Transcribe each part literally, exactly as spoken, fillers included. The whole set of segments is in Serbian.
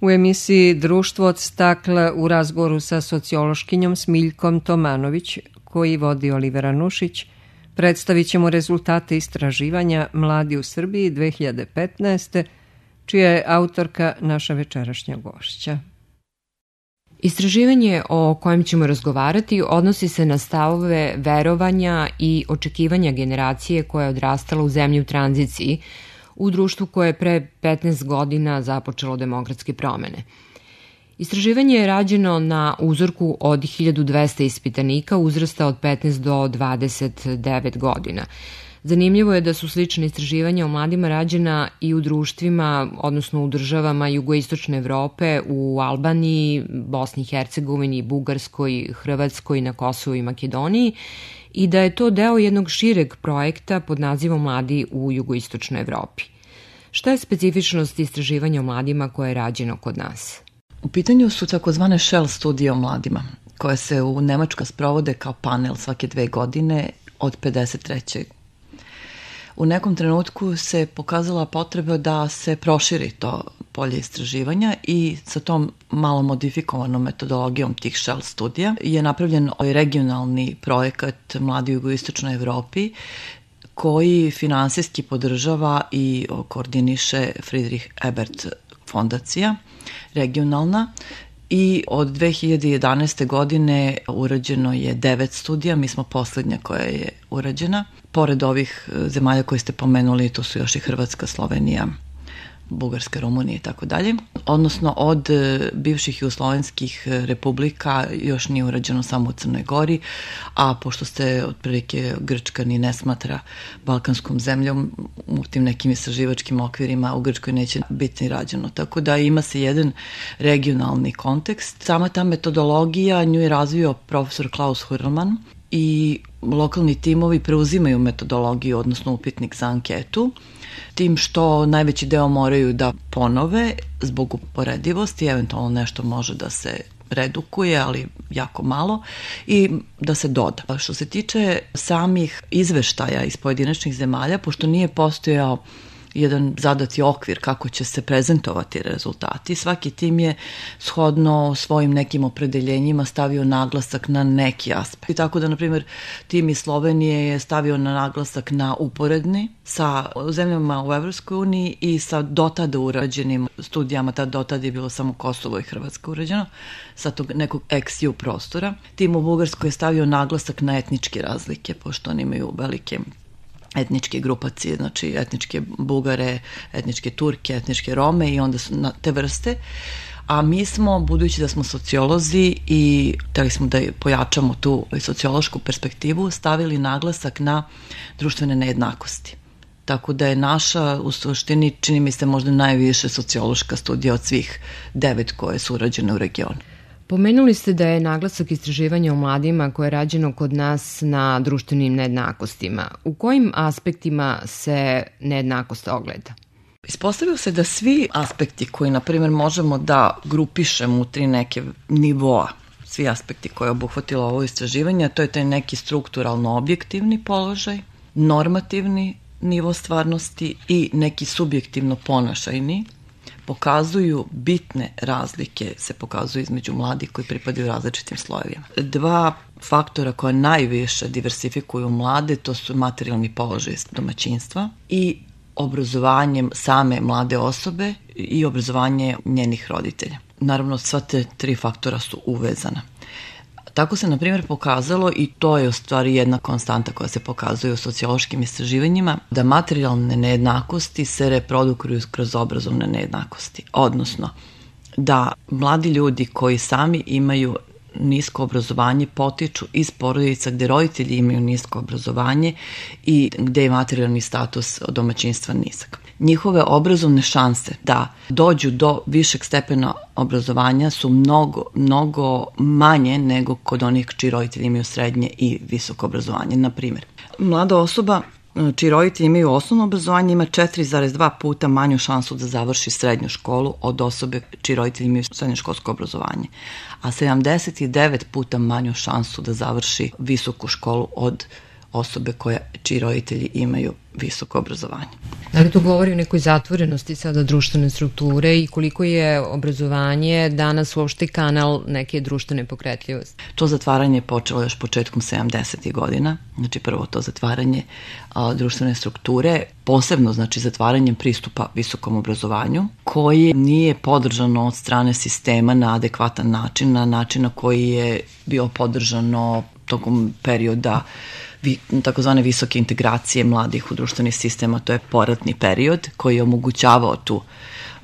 U emisiji Društvo od stakla u razgovoru sa sociološkinjom Smiljkom Tomanović, koji vodi Olivera Nušić, predstavit ćemo rezultate istraživanja Mladi u Srbiji dve hiljade petnaeste. čija je autorka naša večerašnja gošća. Istraživanje o kojem ćemo razgovarati odnosi se na stavove verovanja i očekivanja generacije koja je odrastala u zemlji u tranziciji, u društvu koje je pre petnaest godina započelo demokratske promene. Istraživanje je rađeno na uzorku od hiljadu dvesta ispitanika uzrasta od petnaest do dvadeset devet godina. Zanimljivo je da su slične istraživanja o mladima rađena i u društvima, odnosno u državama jugoistočne Evrope, u Albaniji, Bosni i Hercegovini, Bugarskoj, Hrvatskoj, na Kosovu i Makedoniji, i da je to deo jednog šireg projekta pod nazivom Mladi u jugoistočnoj Evropi. Šta je specifičnost istraživanja o mladima koje je rađeno kod nas? U pitanju su takozvane Shell studije o mladima, koje se u Nemačkoj sprovode kao panel svake dve godine od pedeset treće. U nekom trenutku se pokazala potreba da se proširi to polje istraživanja i sa tom malo modifikovanom metodologijom tih Shell studija je napravljen regionalni projekat Mladi u jugoistočnoj Evropi koji finansijski podržava i koordiniše Friedrich Ebert fondacija regionalna. I od dve hiljade jedanaeste. godine urađeno je devet studija, mi smo poslednja koja je urađena. Pored ovih zemalja koje ste pomenuli, to su još i Hrvatska, Slovenija, Bugarska, Rumunija i tako dalje. Odnosno od bivših jugoslovenskih republika još nije urađeno samo u Crnoj Gori, a pošto se otprilike Grčka ni ne smatra balkanskom zemljom, u tim nekim istraživačkim okvirima u Grčkoj neće biti ni rađeno. Tako da ima se jedan regionalni kontekst. Sama ta metodologija nju je razvio profesor Klaus Hurlman i lokalni timovi preuzimaju metodologiju, odnosno upitnik za anketu, tim što najveći deo moraju da ponove zbog uporedivosti, eventualno nešto može da se redukuje, ali jako malo, i da se doda. Što se tiče samih izveštaja iz pojedinačnih zemalja, pošto nije postojao jedan zadati okvir kako će se prezentovati rezultati, svaki tim je shodno svojim nekim opredeljenjima stavio naglasak na neki aspekt. I tako da, na primjer, tim iz Slovenije je stavio na naglasak na uporedni sa zemljama u Evropskoj uniji i sa dotada urađenim studijama, tad dotad je bilo samo Kosovo i Hrvatska urađeno, sa tog nekog ex-ju prostora. Tim u Bugarskoj je stavio naglasak na etničke razlike, pošto oni imaju velike etničke grupacije, znači etničke Bugare, etničke Turke, etničke Rome i onda su na te vrste. A mi smo, budući da smo sociolozi i hteli smo da pojačamo tu sociološku perspektivu, stavili naglasak na društvene nejednakosti. Tako da je naša, u suštini, čini mi se možda najviše sociološka studija od svih devet koje su urađene u regionu. Pomenuli ste da je naglasak istraživanja o mladima koje je rađeno kod nas na društvenim nejednakostima. U kojim aspektima se nejednakost ogleda? Ispostavilo se da svi aspekti koji, na primjer, možemo da grupišemo u tri neke nivoa, svi aspekti koje je obuhvatilo ovo istraživanje, to je taj neki strukturalno objektivni položaj, normativni nivo stvarnosti i neki subjektivno ponašajni, pokazuju bitne razlike, se pokazuju između mladih koji pripadaju različitim slojevima. Dva faktora koja najviše diversifikuju mlade, to su materijalni položaj domaćinstva i obrazovanjem same mlade osobe i obrazovanje njenih roditelja. Naravno, sva te tri faktora su uvezana. Tako se, na primjer, pokazalo, i to je u stvari jedna konstanta koja se pokazuje u sociološkim istraživanjima, da materijalne nejednakosti se reprodukuju kroz obrazovne nejednakosti. Odnosno, da mladi ljudi koji sami imaju nisko obrazovanje potiču iz porodica gde roditelji imaju nisko obrazovanje i gde je materijalni status domaćinstva nizak. Njihove obrazovne šanse da dođu do višeg stepena obrazovanja su mnogo, mnogo manje nego kod onih čiji roditelji imaju srednje i visoko obrazovanje. Na primjer, mlada osoba čiji roditelji imaju osnovno obrazovanje ima četiri zarez dva puta manju šansu da završi srednju školu od osobe čiji roditelji imaju srednjoškolsko obrazovanje, a sedamdeset devet puta manju šansu da završi visoku školu od osobe koje, čiji roditelji imaju visoko obrazovanje. Da li to govori o nekoj zatvorenosti sada društvene strukture i koliko je obrazovanje danas uopšte kanal neke društvene pokretljivosti? To zatvaranje je počelo još početkom sedamdesetih godina, znači prvo to zatvaranje a, društvene strukture, posebno znači zatvaranjem pristupa visokom obrazovanju, koji nije podržano od strane sistema na adekvatan način, na način na koji je bio podržano tokom perioda takozvane visoke integracije mladih u društveni sistem, a to je poratni period koji je omogućavao tu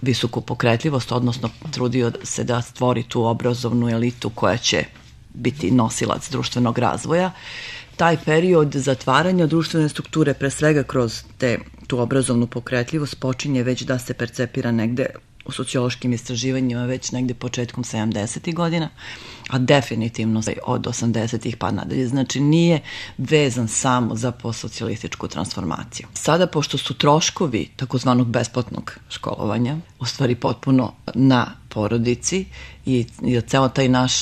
visoku pokretljivost, odnosno trudio se da stvori tu obrazovnu elitu koja će biti nosilac društvenog razvoja. Taj period zatvaranja društvene strukture, pre svega kroz te, tu obrazovnu pokretljivost, počinje već da se percepira negde u sociološkim istraživanjima već negde početkom sedamdesetih godina, a definitivno od osamdesetih pa nadalje. Znači nije vezan samo za postsocijalističku transformaciju. Sada, pošto su troškovi takozvanog besplatnog školovanja u stvari potpuno na porodici i, i ceo taj naš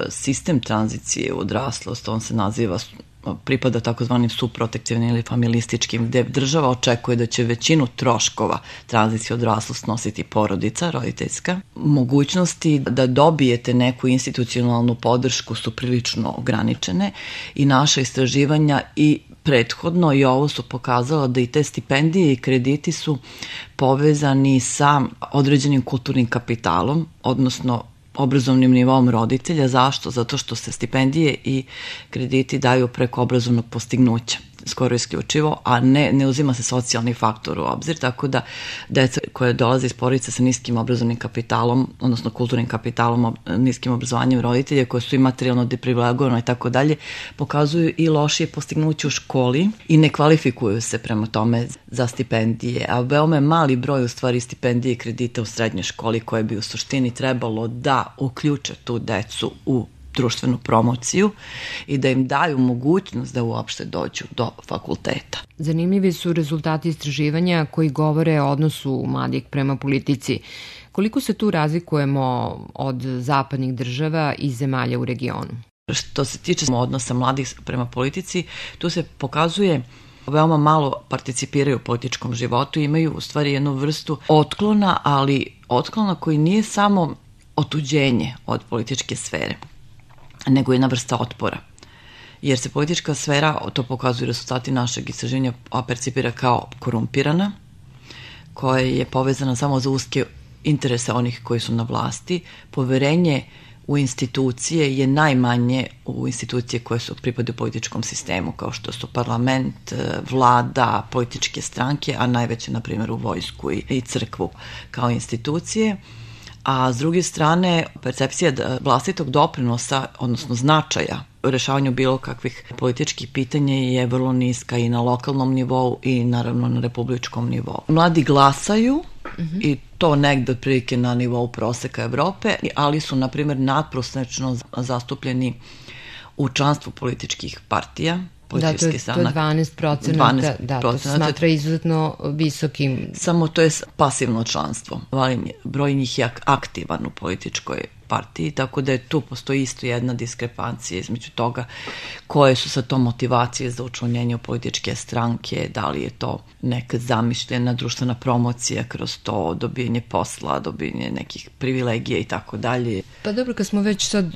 sistem tranzicije u odraslost, on se naziva pripada takozvanim subprotektivnim ili familističkim, gde država očekuje da će većinu troškova tranzicije odraslost nositi porodica, roditeljska. Mogućnosti da dobijete neku institucionalnu podršku su prilično ograničene i naša istraživanja i prethodno i ovo su pokazala da i te stipendije i krediti su povezani sa određenim kulturnim kapitalom, odnosno obrazovnim nivom roditelja. Zašto? Zato što se stipendije i krediti daju preko obrazovnog postignuća, skoro isključivo, a ne, ne uzima se socijalni faktor u obzir, tako da deca koje dolaze iz porodice sa niskim obrazovnim kapitalom, odnosno kulturnim kapitalom, niskim obrazovanjem roditelja, koje su i materijalno deprivilegovane i tako dalje, pokazuju i lošije postignuće u školi i ne kvalifikuju se prema tome za stipendije, a veoma je mali broj u stvari stipendije i kredita u srednjoj školi koje bi u suštini trebalo da uključe tu decu u društvenu promociju i da im daju mogućnost da uopšte dođu do fakulteta. Zanimljivi su rezultati istraživanja koji govore o odnosu mladih prema politici. Koliko se tu razlikujemo od zapadnih država i zemalja u regionu? Što se tiče odnosa mladih prema politici, tu se pokazuje veoma malo participiraju u političkom životu, imaju u stvari jednu vrstu otklona, ali otklona koji nije samo otuđenje od političke sfere, nego jedna vrsta otpora. Jer se politička sfera, to pokazuju rezultati našeg istraživanja, percipira kao korumpirana, koja je povezana samo za uske interese onih koji su na vlasti. Poverenje u institucije je najmanje u institucije koje su pripadaju političkom sistemu, kao što su parlament, vlada, političke stranke, a najveće, na primjer, u vojsku i crkvu kao institucije. A s druge strane, percepcija vlastitog doprinosa, odnosno značaja u rešavanju bilo kakvih političkih pitanja je vrlo niska i na lokalnom nivou i naravno na republičkom nivou. Mladi glasaju mm-hmm. i to negde otprilike na nivou proseka Evrope, ali su, na primjer, nadprosečno zastupljeni u članstvu političkih partija. Da, to je, to je dvanaest procenata, da, to se smatra izuzetno visokim. Samo to je pasivno članstvo, broj njih je aktivan u političkoj partiji, tako da je tu postoji isto jedna diskrepancija između toga koje su sa to motivacije za učlanjenje u političke stranke, da li je to neka zamišljena društvena promocija kroz to, dobijanje posla, dobijanje nekih privilegija i tako dalje. Pa dobro, kad smo već sad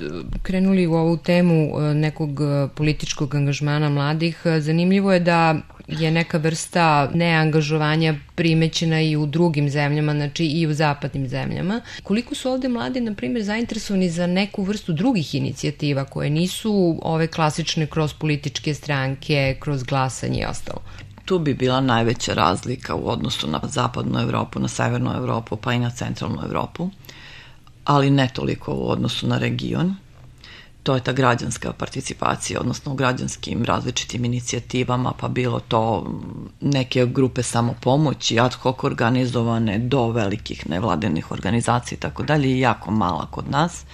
krenuli u ovu temu nekog političkog angažmana mladih, zanimljivo je da je neka vrsta neangažovanja primećena i u drugim zemljama, znači i u zapadnim zemljama. Koliko su ovde mladi, na primjer, zainteresovani za neku vrstu drugih inicijativa koje nisu ove klasične kroz političke stranke, kroz glasanje i ostalo? Tu bi bila najveća razlika u odnosu na zapadnu Evropu, na severnu Evropu, pa i na centralnu Evropu, ali ne toliko u odnosu na region. To je ta građanska participacija, odnosno u građanskim različitim inicijativama, pa bilo to neke grupe samopomoći, ad hoc organizovane do velikih nevladinih organizacija i tako dalje, jako mala kod nas.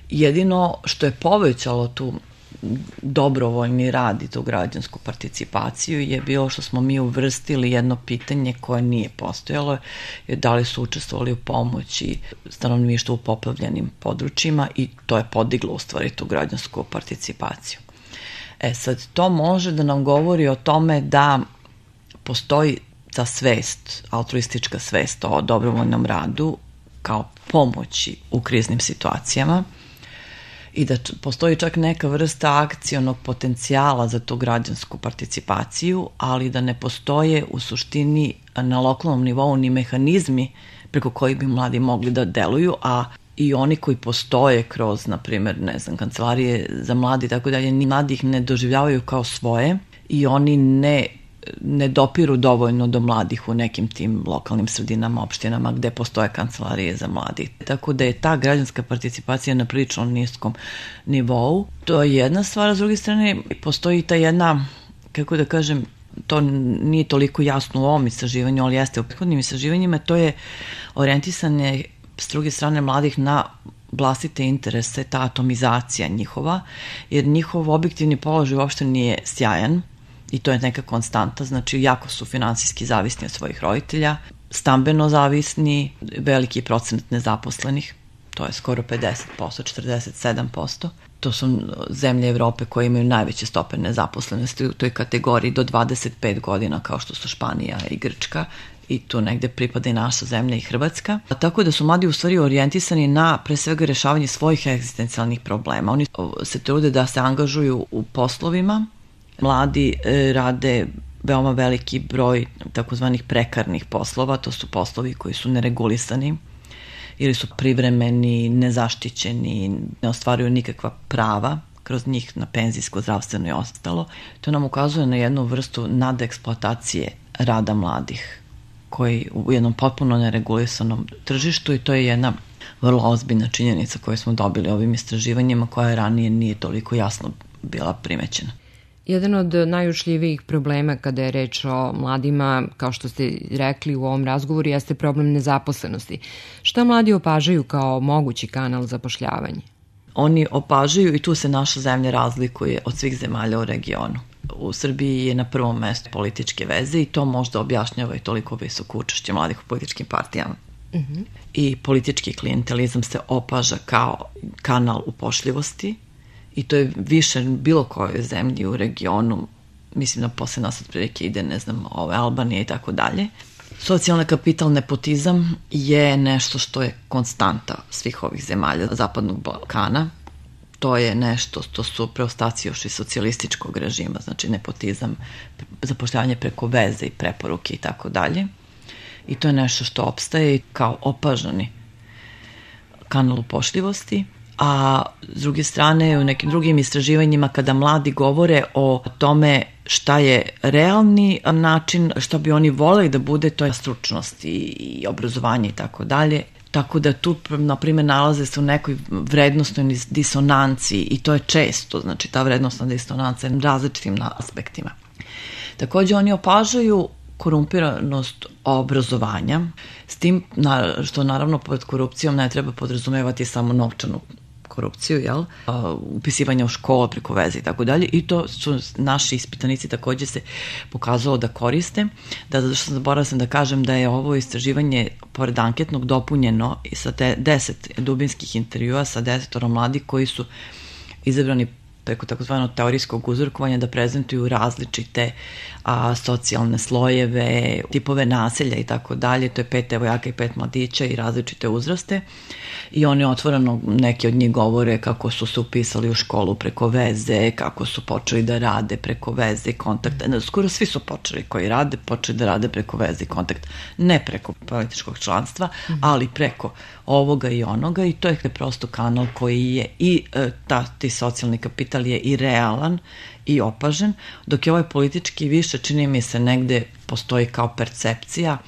Jedino što je povećalo tu dobrovoljni rad i tu građansku participaciju je bilo što smo mi uvrstili jedno pitanje koje nije postojalo, je da li su učestvovali u pomoći stanovništvu u poplavljenim područjima i to je podiglo u stvari tu građansku participaciju. E sad, to može da nam govori o tome da postoji ta svest, altruistička svest o dobrovoljnom radu kao pomoći u kriznim situacijama i da postoji čak neka vrsta akcionog potencijala za tu građansku participaciju, ali da ne postoje u suštini na lokalnom nivou ni mehanizmi preko koji bi mladi mogli da deluju, a i oni koji postoje kroz, na primjer, ne znam, kancelarije za mladi i tako dalje, ni mladi ih ne doživljavaju kao svoje i oni ne, ne dopiru dovoljno do mladih u nekim tim lokalnim sredinama, opštinama gde postoje kancelarije za mladi. Tako da je ta građanska participacija na prilično niskom nivou. To je jedna stvar, a s druge strane postoji ta jedna, kako da kažem, to nije toliko jasno u ovom istraživanju, ali jeste u prethodnim istraživanjima, to je orijentisanje s druge strane mladih na vlastite interese, ta atomizacija njihova, jer njihov objektivni položaj uopšte nije sjajan i to je neka konstanta, znači jako su finansijski zavisni od svojih roditelja, stambeno zavisni, veliki procenat nezaposlenih, to je skoro pedeset posto, četrdeset sedam posto. To su zemlje Evrope koje imaju najveće stope nezaposlenosti u toj kategoriji do dvadeset pet godina, kao što su Španija i Grčka, i tu negde pripada i naša zemlja i Hrvatska. A tako da su mladi u stvari orijentisani na pre svega rešavanje svojih egzistencijalnih problema. Oni se trude da se angažuju u poslovima. Mladi e, rade veoma veliki broj takozvanih prekarnih poslova, to su poslovi koji su neregulisani ili su privremeni, nezaštićeni, ne ostvaruju nikakva prava kroz njih na penzijsko, zdravstveno i ostalo. To nam ukazuje na jednu vrstu nadeksploatacije rada mladih koji u jednom potpuno neregulisanom tržištu i to je jedna vrlo ozbiljna činjenica koju smo dobili ovim istraživanjima koja ranije nije toliko jasno bila primećena. Jedan od najučljivijih problema kada je reč o mladima, kao što ste rekli u ovom razgovoru, jeste problem nezaposlenosti. Šta mladi opažaju kao mogući kanal zapošljavanja? Oni opažaju i tu se naša zemlja razlikuje od svih zemalja u regionu. U Srbiji je na prvom mestu političke veze i to možda objašnjava i toliko visoko učešće mladih u političkim partijama. Uh-huh. I politički klijentelizam se opaža kao kanal upošljivosti i to je više bilo kojoj zemlji u regionu, mislim da posle nas otprilike ide, ne znam, ove Albanije i tako dalje. Socijalni kapital, nepotizam je nešto što je konstanta svih ovih zemalja Zapadnog Balkana. To je nešto što su preostaci još iz socijalističkog režima, znači nepotizam, zapošljavanje preko veze i preporuke i tako dalje. I to je nešto što opstaje kao opažani kanal upošljivosti. A s druge strane, u nekim drugim istraživanjima kada mladi govore o tome šta je realni način, šta bi oni voleli da bude, to je stručnost i obrazovanje i tako dalje. Tako da tu, na primjer, nalaze se u nekoj vrednostnoj disonanciji i to je često, znači ta vrednostna disonanca je različitim aspektima. Takođe oni opažaju korumpiranost obrazovanja, s tim što naravno pod korupcijom ne treba podrazumevati samo novčanu korupciju, jel? Upisivanje u školu preko veze i tako dalje, i to su naši ispitanici takođe se pokazalo da koriste. Da, zato što zaboravila sam da kažem da je ovo istraživanje pored anketnog dopunjeno i sa te deset dubinskih intervjua sa desetoro mladih koji su izabrani preko takozvanog teorijskog uzorkovanja da prezentuju različite a, socijalne slojeve, tipove naselja i tako dalje. To je pet devojaka i pet mladića i različite uzraste. I oni otvoreno, neki od njih govore kako su se upisali u školu preko veze, kako su počeli da rade preko veze i kontakta. Skoro svi su počeli koji rade, počeli da rade preko veze i kontakta. Ne preko političkog članstva, ali preko ovoga i onoga, i to je prosto kanal koji je i ta, ti socijalni kapital je i realan i opažen, dok je ovaj politički više, čini mi se, negde postoji kao percepcija,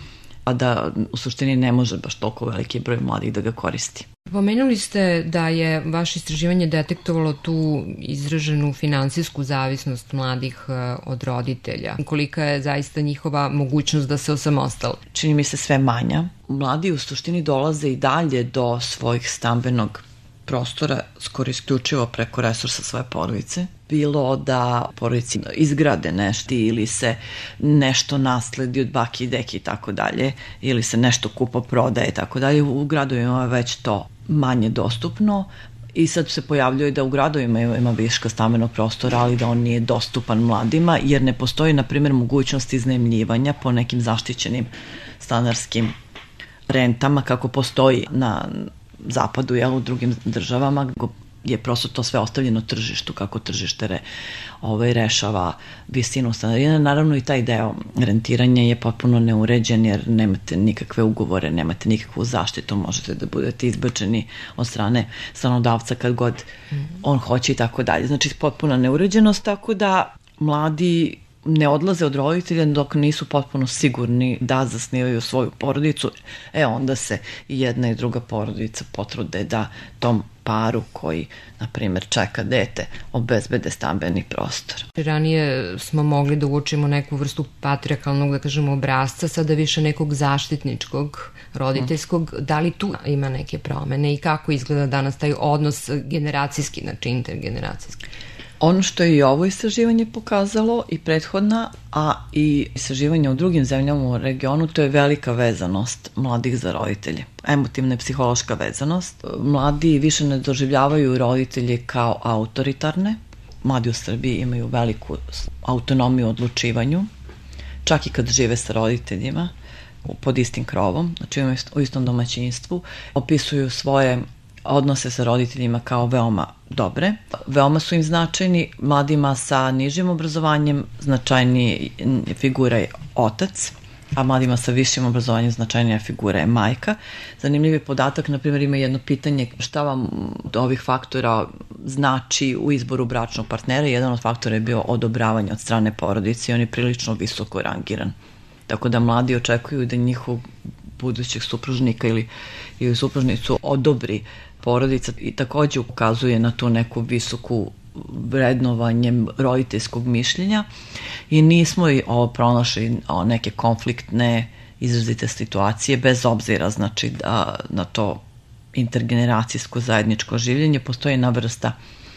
a da u suštini ne može baš toliko veliki broj mladih da ga koristi. Pomenuli ste da je vaše istraživanje detektovalo tu izraženu finansijsku zavisnost mladih od roditelja. Kolika je zaista njihova mogućnost da se osamostale? Čini mi se sve manja. Mladi u suštini dolaze i dalje do svojih stambenog prostora skoro isključivo preko resursa svoje porodice. Bilo da porodici izgrade nešto ili se nešto nasledi od baki i deki i tako dalje, ili se nešto kupo prodaje i tako dalje. U gradovima je već to manje dostupno I sad se pojavljuje da u gradovima ima viška stambenog prostora, ali da on nije dostupan mladima, jer ne postoji, na primjer, mogućnost iznajmljivanja po nekim zaštićenim stanarskim rentama, kako postoji na zapadu, jel, u drugim državama, je prosto to sve ostavljeno tržištu, kako tržište re, ovaj, rešava visinu stanarina. Naravno i taj deo rentiranja je potpuno neuređen, jer nemate nikakve ugovore, nemate nikakvu zaštitu, možete da budete izbačeni od strane stanodavca kad god on hoće i tako dalje. Znači potpuna neuređenost, tako da mladi ne odlaze od roditelja dok nisu potpuno sigurni da zasnivaju svoju porodicu. E onda se i jedna i druga porodica potrude da tom paru koji, na primjer, čeka dete, obezbede stambeni prostor. Ranije smo mogli da uočimo neku vrstu patrijarhalnog, da kažemo, obrasca, sada više nekog zaštitničkog, roditeljskog. Da li tu ima neke promene i kako izgleda danas taj odnos generacijski, znači intergeneracijski? Ono što je i ovo istraživanje pokazalo i prethodna, a i istraživanje u drugim zemljama u regionu, to je velika vezanost mladih za roditelje. Emotivna i psihološka vezanost. Mladi više ne doživljavaju roditelje kao autoritarne. Mladi u Srbiji imaju veliku autonomiju u odlučivanju, čak i kad žive sa roditeljima pod istim krovom, znači u istom domaćinstvu. Opisuju svoje odnose sa roditeljima kao veoma dobre. Veoma su im značajni. Mladima sa nižim obrazovanjem značajnija figura je otac, a mladima sa višim obrazovanjem značajnija figura je majka. Zanimljiv je podatak, na primjer, ima jedno pitanje šta vam od ovih faktora znači u izboru bračnog partnera. Jedan od faktora je bio odobravanje od strane porodice i on je prilično visoko rangiran. Tako da mladi očekuju da njihov budućeg supružnika ili, ili supružnicu odobri porodica i takođe ukazuje na tu neku visoku vrednovanje roditeljskog mišljenja i nismo i ovo pronašli o, neke konfliktne izrazite situacije bez obzira, znači da na to intergeneracijsko zajedničko življenje postoji jedna vrsta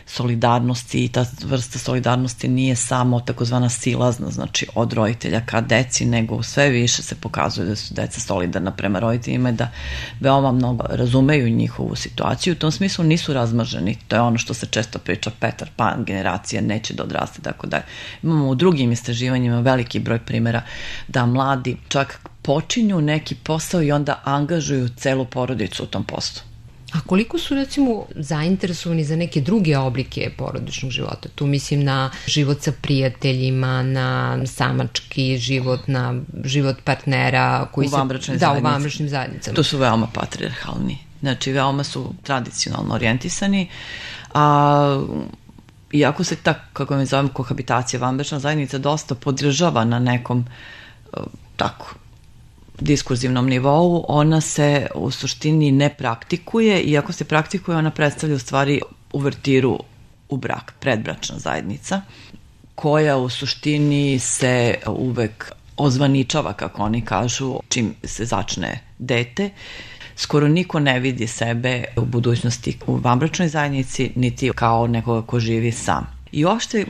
solidarnosti i ta vrsta solidarnosti nije samo takozvana silazna, znači od roditelja ka deci, nego sve više se pokazuje da su deca solidarna prema roditeljima i da veoma mnogo razumeju njihovu situaciju. U tom smislu nisu razmaženi, to je ono što se često priča, Petar Pan generacija neće da odraste, tako da imamo u drugim istraživanjima veliki broj primjera da mladi čak počinju neki posao i onda angažuju celu porodicu u tom poslu. A koliko su, recimo, zainteresovani za neke druge oblike porodičnog života? Tu mislim na život sa prijateljima, na samački život, na život partnera koji u vanbračnoj se... Da, u vanbračnim zajednicama. To su veoma patrijarhalni. Znači, veoma su tradicionalno orijentisani, a iako se ta, kako mi zovem, kohabitacija, vanbračna zajednica dosta podržava na nekom tako diskurzivnom nivou, ona se u suštini ne praktikuje, iako se praktikuje, ona predstavlja u stvari uvertiru u brak, predbračna zajednica, koja u suštini se uvek ozvaničava, kako oni kažu, čim se začne dete. Skoro niko ne vidi sebe u budućnosti u vanbračnoj zajednici, niti kao nekoga ko živi sam. I uopšte,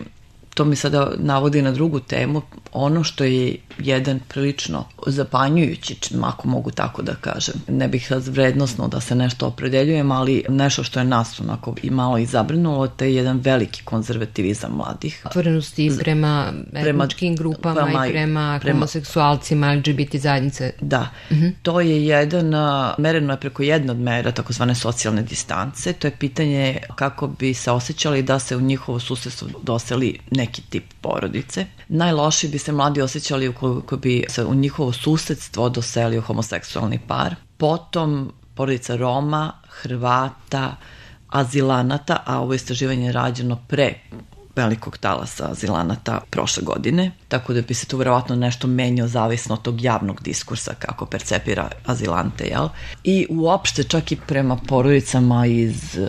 to mi sada navodi na drugu temu, ono što je jedan prilično zapanjujući, ako mogu tako da kažem. Ne bih sad vrednosno da se nešto opredeljujem, ali nešto što je nas onako i malo i zabrinulo, to je jedan veliki konzervativizam mladih. Otvorenosti prema etničkim grupama prema, i prema, prema homoseksualcima, L G B T zajednice. Da, uh-huh. To je jedan, mereno je preko jedna od mera takozvane socijalne distance, to je pitanje kako bi se osjećali da se u njihovo susedstvo doseli neki tip porodice. Najlošije bi se mladi osjećali ukoliko bi se u njihovo susedstvo doselio homoseksualni par. Potom porodica Roma, Hrvata, azilanata, a ovo istraživanje je rađeno pre velikog talasa azilanata prošle godine, tako da bi se tu verovatno nešto menjao zavisno od tog javnog diskursa kako percepira azilante, jel? I uopšte čak i prema porodicama iz uh,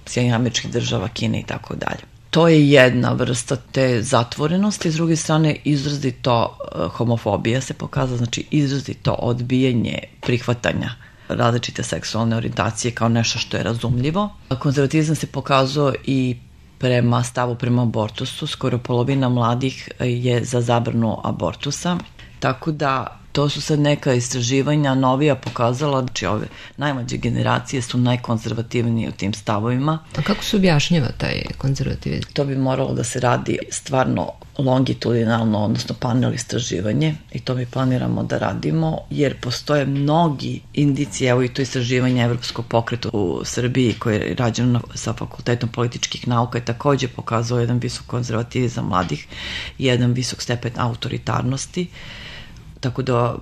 Sjedinjenih Američkih Država, Kine i tako dalje. To je jedna vrsta te zatvorenosti, s druge strane izrazito homofobija se pokazala, znači izrazito odbijanje prihvatanja različite seksualne orijentacije kao nešto što je razumljivo. Konzervatizam se pokazao i prema stavu prema abortusu, skoro polovina mladih je za zabranu abortusa, tako da To su sad neka istraživanja novija pokazala, znači ove najmlađe generacije su najkonzervativnije u tim stavovima. A kako se objašnjava taj konzervativizam? To bi moralo da se radi stvarno longitudinalno, odnosno panel istraživanje, i to mi planiramo da radimo, jer postoje mnogi indicije, evo i to istraživanje Evropskog pokreta u Srbiji koje je rađeno sa Fakultetom političkih nauka je takođe pokazao jedan visok konzervativizam mladih i jedan visok stepen autoritarnosti. Tako da,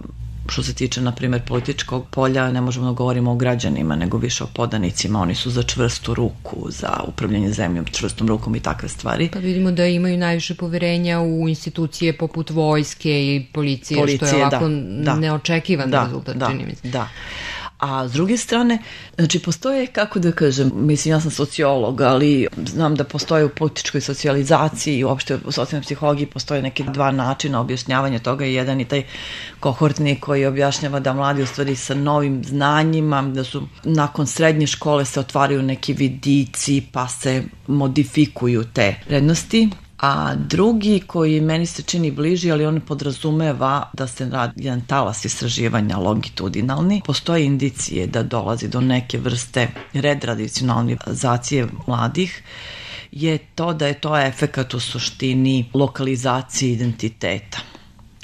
što se tiče, na primjer, političkog polja, ne možemo da govorimo o građanima, nego više o podanicima. Oni su za čvrstu ruku, za upravljanje zemljom, čvrstom rukom i takve stvari. Pa vidimo da imaju najviše poverenja u institucije poput vojske i policije, policije što je ovako da, da, neočekivan da, rezultat, da, čini mi se. Da, a s druge strane, znači postoje, kako da kažem, mislim, ja sam sociolog, ali znam da postoje u političkoj socijalizaciji i uopšte u socijalnoj psihologiji postoje neke dva načina objašnjavanja toga. Jedan je taj kohortni koji objašnjava da mladi u stvari sa novim znanjima, da su nakon srednje škole se otvaraju neki vidici pa se modifikuju te vrednosti. A drugi koji meni se čini bliži, ali on podrazumeva da se radi jedan talas istraživanja longitudinalni. Postoje indicije da dolazi do neke vrste retradicionalizacije mladih, je to da je to efekat u suštini lokalizacije identiteta.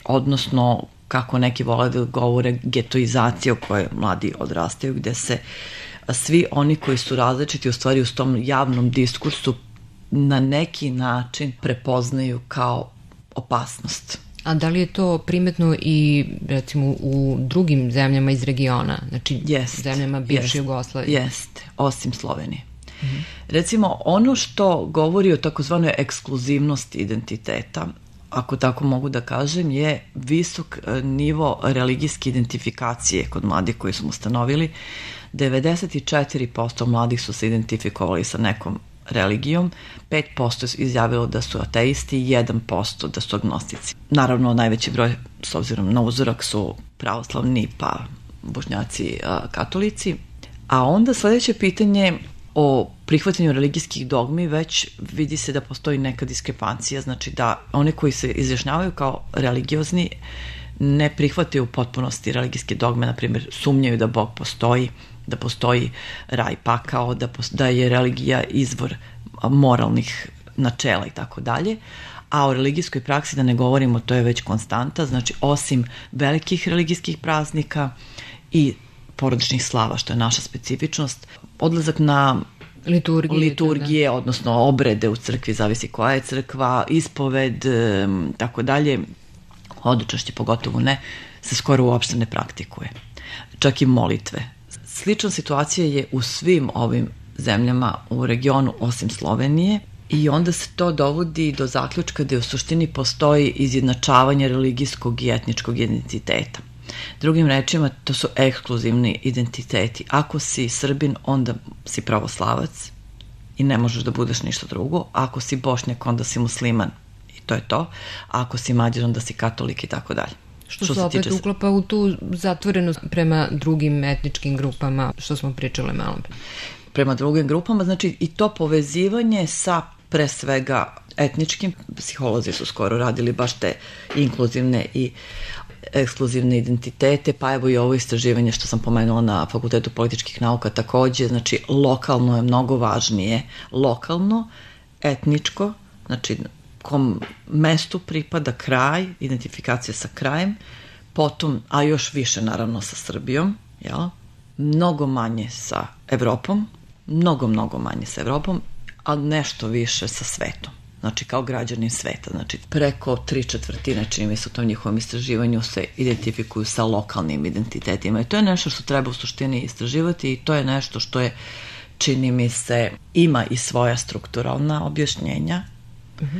Odnosno, kako neki vole da govore, getoizacije u kojoj mladi odrastaju, gde se svi oni koji su različiti u stvari u tom javnom diskursu na neki način prepoznaju kao opasnost. A da li je to primetno i recimo u drugim zemljama iz regiona, znači jest, zemljama bivše jest, Jugoslavije? Jeste, osim Slovenije. Mm-hmm. Recimo, ono što govori o takozvanoj ekskluzivnosti identiteta, ako tako mogu da kažem, je visok nivo religijske identifikacije kod mladih koji smo ustanovili. devedeset četiri posto mladih su se identifikovali sa nekom religijom, pet posto izjavilo da su ateisti i jedan posto da su agnostici. Naravno, najveći broj, s obzirom na uzorak, su pravoslavni, pa bošnjaci, katolici. A onda sledeće pitanje o prihvatanju religijskih dogmi, već vidi se da postoji neka diskrepancija, znači da one koji se izjašnjavaju kao religiozni ne prihvataju u potpunosti religijske dogme, na primjer sumnjaju da Bog postoji, da postoji raj, pakao, da, da je religija izvor moralnih načela i tako dalje. A o religijskoj praksi da ne govorimo, to je već konstanta, znači osim velikih religijskih praznika i porodičnih slava, što je naša specifičnost, odlazak na liturgije, liturgije odnosno obrede u crkvi, zavisi koja je crkva, ispoved, tako dalje, hodočašće pogotovo ne, se skoro uopšte ne praktikuje. Čak i molitve. Slična situacija je u svim ovim zemljama u regionu osim Slovenije i onda se to dovodi do zaključka da u suštini postoji izjednačavanje religijskog i etničkog identiteta. Drugim rečima, to su ekskluzivni identiteti. Ako si Srbin, onda si pravoslavac i ne možeš da budeš ništa drugo. Ako si Bošnjak, onda si musliman i to je to. A ako si Mađar, onda si katolik i tako dalje. Što, što se opet tiče... uklapa u tu zatvorenost prema drugim etničkim grupama, što smo pričale malo. Prema drugim grupama, znači i to povezivanje sa pre svega etničkim, psiholozi su skoro radili baš te inkluzivne i ekskluzivne identitete, pa evo i ovo istraživanje što sam pomenula na Fakultetu političkih nauka takođe, znači lokalno je mnogo važnije, lokalno, etničko, znači kom mestu pripada kraj, identifikacija sa krajem, potom, a još više naravno sa Srbijom, jel? Mnogo manje sa Evropom, mnogo, mnogo manje sa Evropom, a nešto više sa svetom. Znači kao građanin sveta, znači preko tri četvrtine, čini mi se u tom njihovom istraživanju, se identifikuju sa lokalnim identitetima i to je nešto što treba u suštini istraživati i to je nešto što je, čini mi se, ima i svoja strukturalna objašnjenja. Mhm.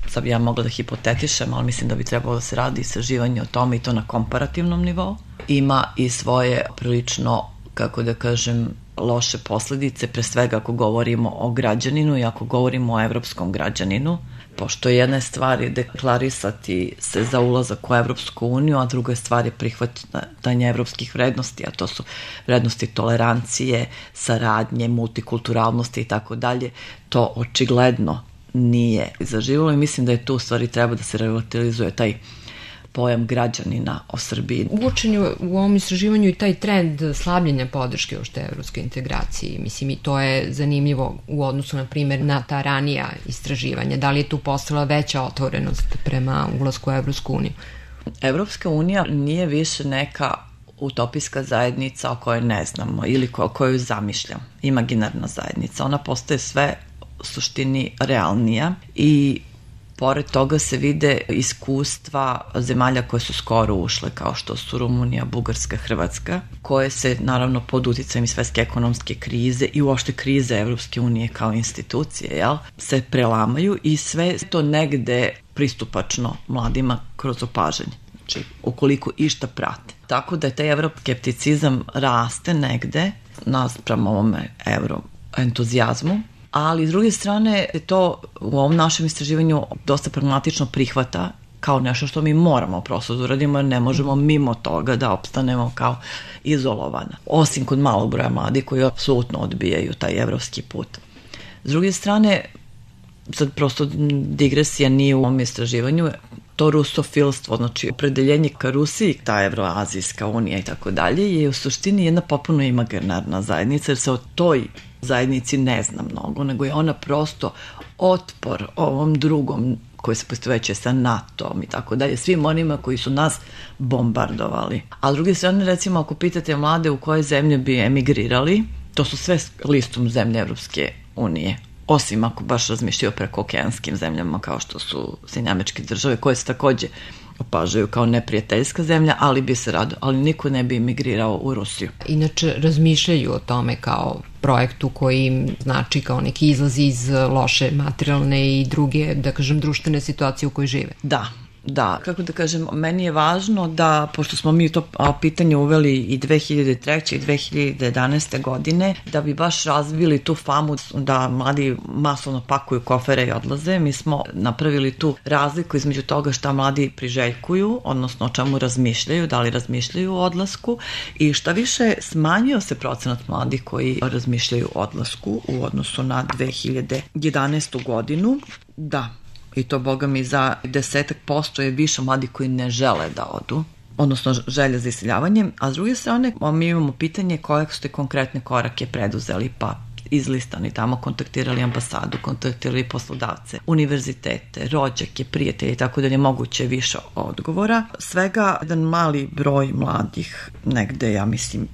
Sad bi ja mogla da hipotetišem, ali mislim da bi trebalo da se radi istraživanje o tome i to na komparativnom nivou. Ima i svoje prilično, kako da kažem, loše posledice, pre svega ako govorimo o građaninu i ako govorimo o evropskom građaninu, pošto jedna stvar je deklarisati se za ulazak u Evropsku uniju, a druga stvar je prihvatanje evropskih vrednosti, a to su vrednosti tolerancije, saradnje, multikulturalnosti i tako dalje. To očigledno nije zaživjelo i mislim da je tu u stvari treba da se relativizuje taj pojam građanina o Srbiji. Uočen je u ovom istraživanju i taj trend slabljenja podrške uopšte evropskoj integraciji. Mislim, i to je zanimljivo u odnosu, na primjer, na ta ranija istraživanja. Da li je tu postala veća otvorenost prema ulasku u Evropsku uniju? Evropska unija nije više neka utopijska zajednica o kojoj ne znamo ili o kojoj zamišljam, imaginarna zajednica. Ona postaje sve u suštini realnija i pored toga se vide iskustva zemalja koje su skoro ušle, kao što su Rumunija, Bugarska, Hrvatska, koje se naravno pod uticajem svetske ekonomske krize i uopšte krize Evropske unije kao institucije, jel, se prelamaju i sve to negde pristupačno mladima kroz opažanje. Znači, ukoliko išta prate. Tako da je taj evroskepticizam raste negde naspram ovome evroentuzijazmu, ali s druge strane to u ovom našem istraživanju dosta pragmatično prihvata kao nešto što mi moramo prosto da uradimo, jer ne možemo mimo toga da opstanemo kao izolovana. Osim kod malog broja mladih koji apsolutno odbijaju taj evropski put. S druge strane, sad prosto digresija nije u ovom istraživanju, to rusofilstvo, znači opredeljenje ka Rusiji, ta Evroazijska unija i tako dalje, je u suštini jedna potpuno imaginarna zajednica, jer se o toj zajednici ne zna mnogo, nego je ona prosto otpor ovom drugom koji se poistovećuje sa NATO-om i tako dalje, svim onima koji su nas bombardovali. A s druge strane, recimo, ako pitate mlade u koje zemlje bi emigrirali, to su sve listom zemlje Evropske unije. Osim ako baš razmišljaju o prekookeanskim zemljama kao što su Sjedinjene Američke Države, koje se takođe opažaju kao neprijateljska zemlja, ali bi se rado, ali niko ne bi emigrirao u Rusiju. Inače, razmišljaju o tome kao projektu koji im znači kao neki izlaz iz loše materijalne i druge, da kažem, društvene situacije u kojoj žive. Da. Da, kako da kažem, meni je važno da, pošto smo mi to pitanje uveli i dve hiljade treće i dve hiljade jedanaeste godine, da bi baš razvili tu famu da mladi masovno pakuju kofere i odlaze, mi smo napravili tu razliku između toga šta mladi priželjkuju, odnosno o čemu razmišljaju, da li razmišljaju o odlasku, i šta više smanjio se procenat mladih koji razmišljaju o odlasku u odnosu na dve hiljade jedanaestu godinu. Da, i to, boga mi, za desetak posto je više mladi koji ne žele da odu, odnosno želja za iseljavanjem, a s druge strane mi imamo pitanje koje ste konkretne korake preduzeli, pa izlistani tamo, kontaktirali ambasadu, kontaktirali poslodavce, univerzitete, rođake, prijatelje i tako da je moguće više odgovora. Svega jedan mali broj mladih, negde, ja mislim,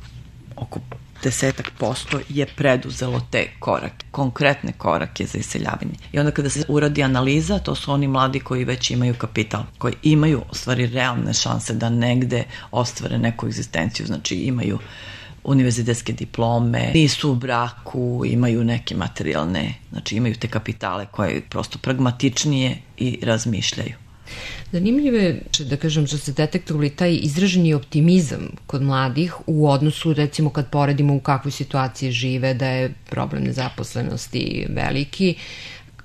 oko desetak posto je preduzelo te korake, konkretne korake za iseljavanje. I onda kada se uradi analiza, to su oni mladi koji već imaju kapital, koji imaju u stvari realne šanse da negde ostvare neku egzistenciju, znači imaju univerzitetske diplome, nisu u braku, imaju neke materijalne, znači imaju te kapitale koje prosto pragmatičnije i razmišljaju. Zanimljivo je, da kažem, što se detektovali taj izraženi optimizam kod mladih u odnosu, recimo, kad poredimo u kakvoj situaciji žive, da je problem nezaposlenosti veliki.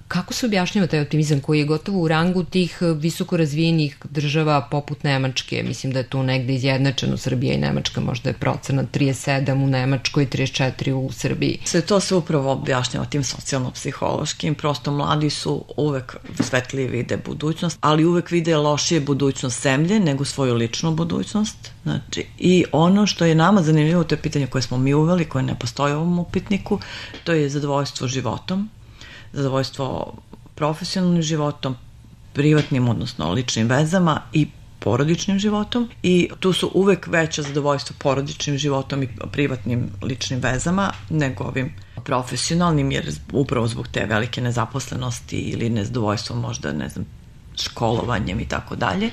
Kako se objašnjava taj optimizam koji je gotovo u rangu tih visoko razvijenih država poput Nemačke? Mislim da je tu negde izjednačeno Srbija i Nemačka, možda je procenat trideset sedam u Nemačkoj, trideset četiri u Srbiji. Sve to se upravo objašnjava tim socijalno-psihološkim, prosto mladi su uvek svetlije vide budućnost, ali uvek vide lošije budućnost zemlje nego svoju ličnu budućnost. Znači, i ono što je nama zanimljivo, to je pitanje koje smo mi uveli, koje ne postoji u ovom upitniku, to je zadovoljstvo životom, zadovoljstvo profesionalnim životom, privatnim, odnosno ličnim vezama i porodičnim životom, i tu su uvek veća zadovoljstvo porodičnim životom i privatnim ličnim vezama nego ovim profesionalnim, jer upravo zbog te velike nezaposlenosti ili nezadovoljstvo možda, ne znam, školovanjem i tako dalje,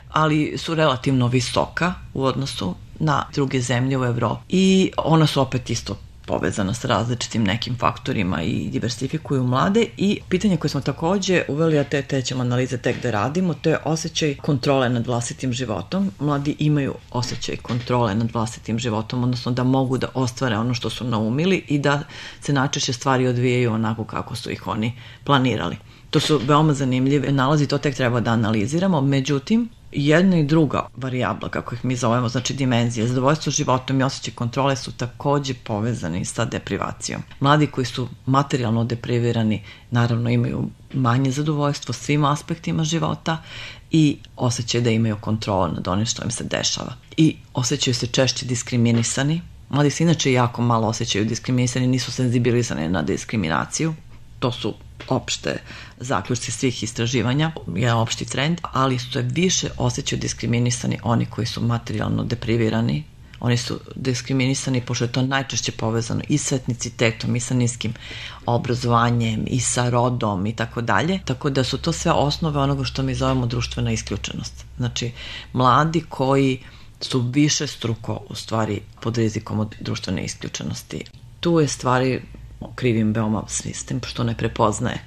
ali su relativno visoka u odnosu na druge zemlje u Evropi i ona su opet isto povezana sa različitim nekim faktorima i diversifikuju mlade. I pitanje koje smo takođe uveli, a te, te ćemo analize tek da radimo, to je osjećaj kontrole nad vlastitim životom. Mladi imaju osjećaj kontrole nad vlastitim životom, odnosno da mogu da ostvare ono što su naumili i da se najčešće stvari odvijaju onako kako su ih oni planirali. To su veoma zanimljive nalazi, to tek treba da analiziramo, međutim, jedna i druga varijabla, kako ih mi zovemo, znači dimenzije, zadovoljstvo životom i osjećaj kontrole su takođe povezani sa deprivacijom. Mladi koji su materijalno deprivirani naravno imaju manje zadovoljstvo svim aspektima života i osjećaju da imaju kontrolu nad onim što im se dešava. I osjećaju se češće diskriminisani. Mladi se inače jako malo osjećaju diskriminisani, nisu senzibilizani na diskriminaciju. To su opšte zaključci svih istraživanja, je opšti trend, ali su više osjećaju diskriminisani oni koji su materijalno deprivirani. Oni su diskriminisani pošto je to najčešće povezano i sa etnicitetom i sa niskim obrazovanjem i sa rodom i tako dalje. Tako da su to sve osnove onoga što mi zovemo društvena isključenost. Znači, mladi koji su više struko u stvari pod rizikom od društvene isključenosti. Tu je stvari krivim veoma sistem što ne prepoznaje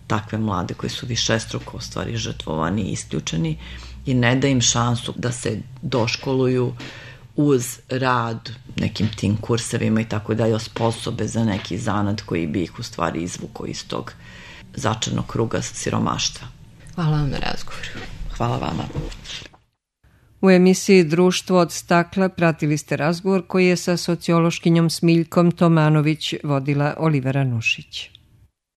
takve mlade koji su više struko u stvari žrtvovani i isključeni i ne da im šansu da se doškoluju uz rad nekim tim kursevima i tako dalje osposobe za neki zanat koji bi ih u stvari izvukao iz tog začarnog kruga siromaštva. Hvala vam na razgovoru. Hvala vama. U emisiji Društvo od stakla pratili ste razgovor koji je sa sociološkinjom Smiljkom Tomanović vodila Olivera Nušić.